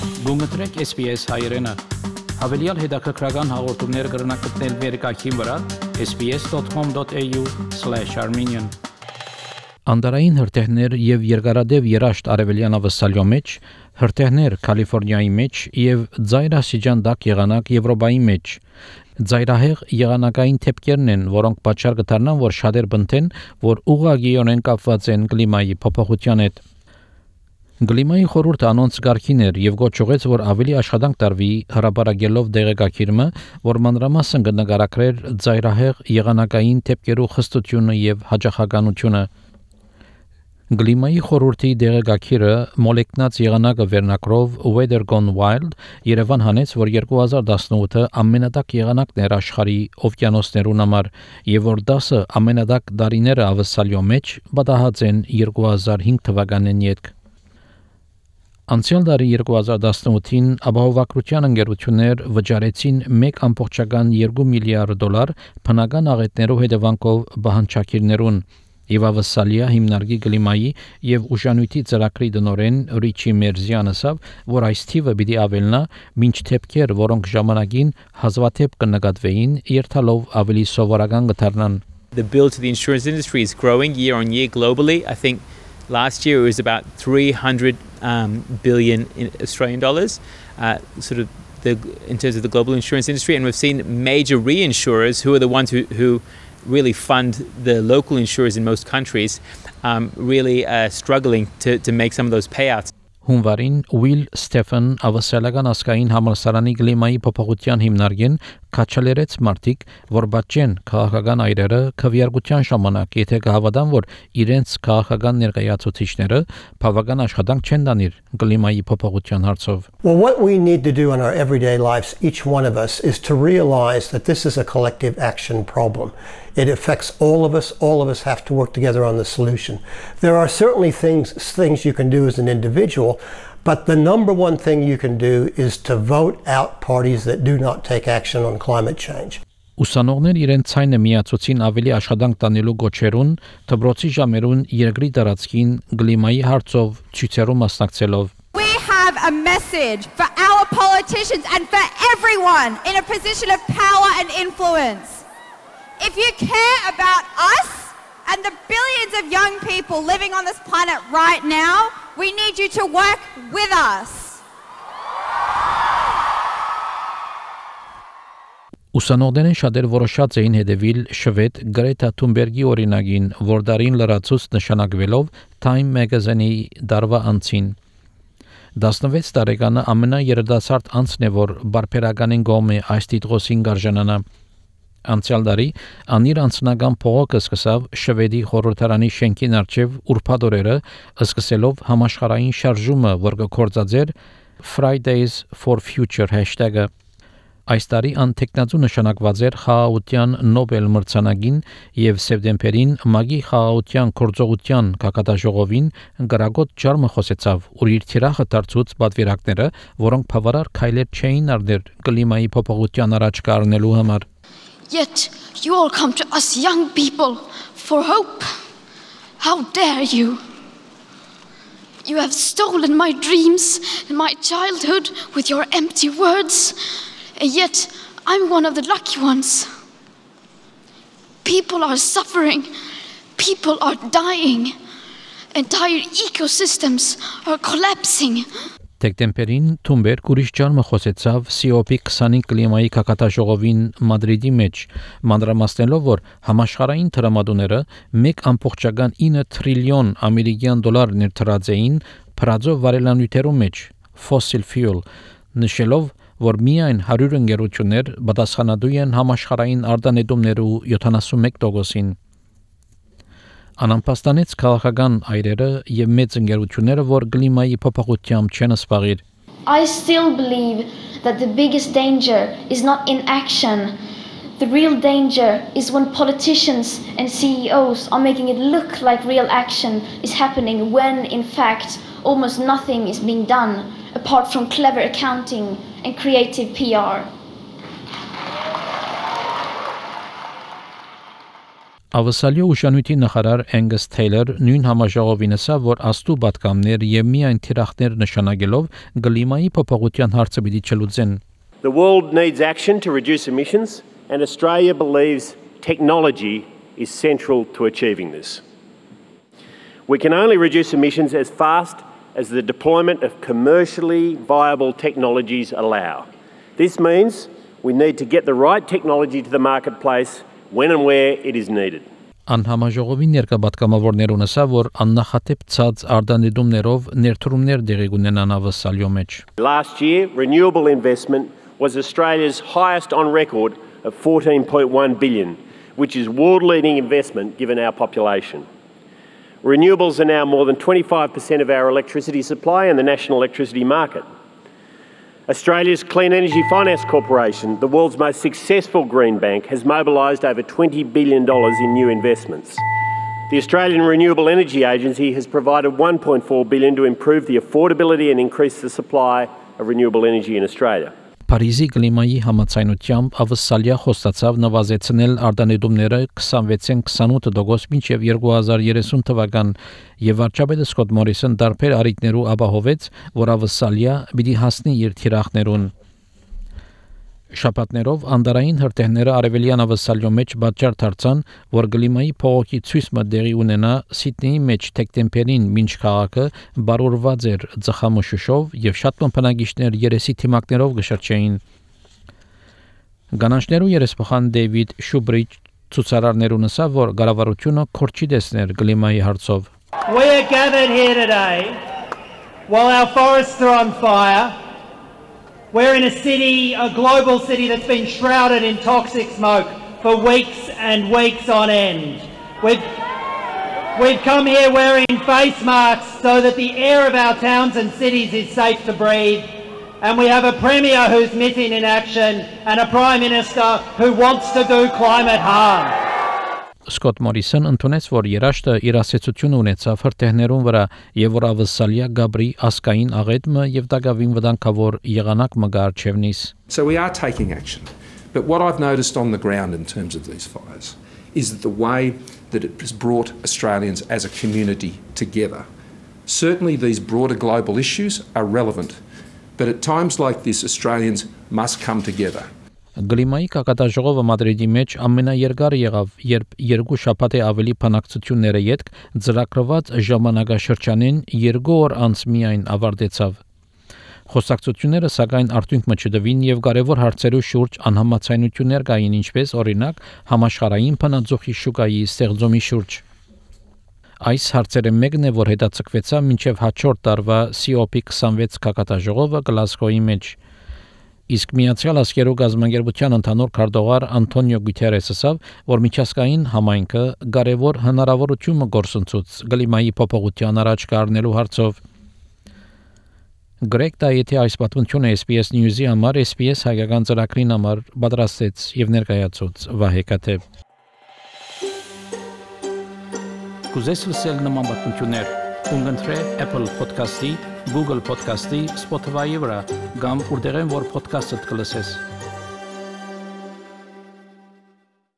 Գումտրեք SPS հայերենը։ Հավելյալ հետաքրքրական հաղորդումներ կգրնակցնել վերկայքին վրա sbs.com.au/armenian Անդարային հրթիռներ եւ երկարադեպ երաշտ արևելյան ավսալյո մեջ, հրթիռներ Կալիֆոռնիայի մեջ եւ ծայրասիջան դակ եղանակ Եվրոպայի մեջ։ Ծայրահեղ եղանակային թեփքերն են, որոնք պատճառ կդառնան, որ շատեր բնթեն, որ ուղղակիորեն կապված են կլիմայի փոփոխության հետ։ Գլիմայի խորհուրդը անոնց գարքին էր եւ գոչուեց, որ ավելի աշխատանք տարվի հրապարակելով դեղեկագիրը, որ մանրամասն կնկարագրեր ծայրահեղ եղանակային թեփքերու խստությունը եւ հաջողականությունը։ Գլիմայի խորհրդի դեղեկագիրը մոլեկնած եղանակը վերնակրով Weather Gone Wild Երևան հանեց, որ 2018-ը ամենադակ եղանակն էր աշխարհի օվկիանոսներուն համար եւ որ 10 ամենադակ տարիները ավսալյո մեջ պատահած են 2005 թվականին յետք։ Անցյալ տարի 2018-ին ապահովագրության ընկերություններ վճարեցին 1.2 միլիարդ $, բնական աղետներով հետևանքով բանջարքիրներուն եւ ավսալիա հիմնարկի գլիմայի եւ ուժանույթի ծրագրի դնորեն Ռիչի Մերզյանը ասավ, որ այս թիվը պիտի ավելնա մինչ թեփքեր, որոնք ժամանակին հազվադեպ կնկատվեին, երթալով ավելի սովորական կդառնան։ The bill to the insurance industry is growing year on year globally. I think last year it was about 300 billion Australian dollars, in terms of the global insurance industry, and we've seen major reinsurers, who are the ones who really fund the local insurers in most countries, really struggling to make some of those payouts. Հունվարին Will Stephen ավսալական ասկային համալսարանի գլիմայի փոփոխության հիմնարկեն քաչալերեց մարտիկ, որ բաճեն քաղաքական այրերը քվեարկության ժամանակ, եթե կհավատան, որ իրենց քաղաքական ներկայացուցիչները բավական աշխատանք չեն տանիր գլիմայի փոփոխության հարցով։ Well, what we need to do in our everyday lives, each one of us, is to realize that this is a collective action problem. It affects all of us. All of us have to work together on the solution. There are certainly things you can do as an individual, but the number one thing you can do is to vote out parties that do not take action on climate change. Ուսանողներ իրենց ցայնը միացուցին ավելի աշխատանք տանելու գոչերուն, դպրոցի ժամերուն երկրի տարածքին գլիմայի հարցով ցույցերու մասնակցելով։ We have a message for our politicians and for everyone in a position of power and influence. If you care about us and the billions of young people living on this planet right now, we need you to work with us. Ուսանողներն շատեր որոշած էին հետևել շվեդ Գրետա Թունբերգի օրինագին, որ դարին լրացուց նշանակվելով Time Magazine-ի դարվա անցին։ 16 տարեկանը ամենաերդասարդ անձն է, որ բարբերականին գոմ է այս տիտղոսին գարժանանա։ Անցյալ տարի անիր անձնական փողոքը սկսավ շվեդի խորհրդարանի շենքին առջև ուրբաթ օրերը, սկսելով համաշխարհային շարժումը, որ կգործածեր Fridays for Future #-ը։ Այս տարի անտեքնածու նշանակված էր խաղաղության Նոբել մրցանակին եւ սեպտեմբերին Մագի խաղաղության գործողության կակատաժողովին գրագոտ ջարմը խոսեցավ, որ իր թիրախը դարձուց պատվիրակները, որոնք բավարար քայլեր չէին արդեր կլիմայի փոփոխության առաջ կառնելու համար։ Yet you all come to us young people for hope. How dare you? You have stolen my dreams and my childhood with your empty words. And yet I'm one of the lucky ones. People are suffering. People are dying. Entire ecosystems are collapsing. Դեկտեմբերին Թունբերգ ուրիշ ջարմը խոսեցավ COP20 կլիմայի կակատաժողովին Մադրիդի մեջ, մանրամասնելով, որ համաշխարհային տրամադրությունները 1.9 տրիլիոն ամերիկյան դոլար ներդրած էին փրածո վարելանյութերու մեջ, fossil fuel, նշելով, որ միայն 100 ընկերություններ պատասխանատու են համաշխարհային արտանետումներու 71%-ին։ Անամպաստանեց քաղաքական այրերը եւ մեծ ընկերությունները, որ կլիմայի փոփոխությամբ չեն սպաղիր։ I still believe that the biggest danger is not inaction. The real danger is when politicians and CEOs are making it look like real action is happening when in fact almost nothing is being done apart from clever accounting and creative PR. Ավսալիո ուշանույթի նախարար Angus Taylor նույն համաժողովին ասավ, որ աստու պատկամներ եւ միայն թիրախներ նշանակելով գլիմայի փոփոխության հարցը պիտի չլուծեն. The world needs action to reduce emissions, and Australia believes technology is central to achieving this. We can only reduce emissions as fast as the deployment of commercially viable technologies allow. This means we need to get the right technology to the marketplace when and where it is needed. Անհամաժողովին ներկայացկամավորներուն ասա, որ աննախադեպ ցած արտանետումներով ներդրումներ դեղի կունենան ավսալիո մեջ. Last year, renewable investment was Australia's highest on record of 14.1 billion, which is world-leading investment given our population. Renewables are now more than 25% of our electricity supply in the national electricity market. Australia's Clean Energy Finance Corporation, the world's most successful green bank, has mobilised over $20 billion in new investments. The Australian Renewable Energy Agency has provided $1.4 billion to improve the affordability and increase the supply of renewable energy in Australia. Փարիզի կլիմայի համաձայնությամբ ավսալիա խոստացավ նվազեցնել արտանետումները 26-ին 28% մինչև 2030 թվական եւ վարչապետ Սկոտ Մորիսոն դարբեր արիտներու ապահովեց, որ ավսալիա պիտի հասնի իր թիրախներուն. Շաբաթներով անդարային հրթիռները արևելյան ավսալիո մեջ բաճար դարձան, որ կլիմայի փողոքի ցույցը դեղի ունենա Սիդնեի մեջ դեկտեմբերին մինչ քաղաքը բարուրված էր ծխամշուշով եւ շատ բնակիչներ երեսի թիմակներով գշրջեին. Գանանջներու երեսփոխան Դեյվիդ Շուբրիջ ցուցարարներուն ասավ, որ կառավարությունը քորչի դեսներ կլիմայի հարցով. We are gathered here today while our forests are on fire. We're in a city, a global city that's been shrouded in toxic smoke for weeks and weeks on end. We've come here wearing face masks so that the air of our towns and cities is safe to breathe. And we have a Premier who's missing in action and a Prime Minister who wants to do climate harm. Սկոտ Մորիսոն ընդունեց, որ երաշտը իր ասացություն ունեցավ հրթիռներուն վրա եւ որ ավսալիա գաբրի ասկային աղետը եւ դակավին վտանգավոր եղանակ մը գարչևնիս. So we are taking action. But what I've noticed on the ground in terms of these fires is that the way that it has brought Australians as a community together. Certainly these broader global issues are relevant, but at times like this Australians must come together. Գլիմայի կակատաժողովը Մադրիդի մեջ ամենաերկարը եղավ, երբ երկու շաբաթ ավելի բանակցությունները յետք ծրագրված ժամանակաշրջանին 2 օր անց միայն ավարտեցավ. Խոսակցությունները սակայն արդյունք մը եւ կարևոր հարցերու շուրջ անհամաձայնություններ կային, ինչպես օրինակ համաշխարհային բնաձողի շուկայի ստեղծումի շուրջ. Այս հարցերը մեկն է, որ հետաձգվեցավ մինչև հաջորդ տարվա COP26 կակատաժողովը Գլասգոյի մեջ. Իսկ Միացյալ Աշխարհի գազམ་ագերբության ընդհանուր քարտուղար Անտոնիո Գուտերեսը ասավ, որ միջազգային համայնքը կարևոր հնարավորություն գործընծուց գլիմայի փոփոխության առաջ կառնելու հարցով. Գրեգ Դայեթի այս պատմությունը SBS News-ի համար SBS հայկական ծրագրին համար պատրաստեց եւ ներկայացուց Վահե Կաթեփ. Կուզես լսել նման պատմություններ, կընտրե Apple Podcast-ի, Google Podcast-ի, Spotify-ի վրա, կամ որտեղեն որ podcast-ը կլսես.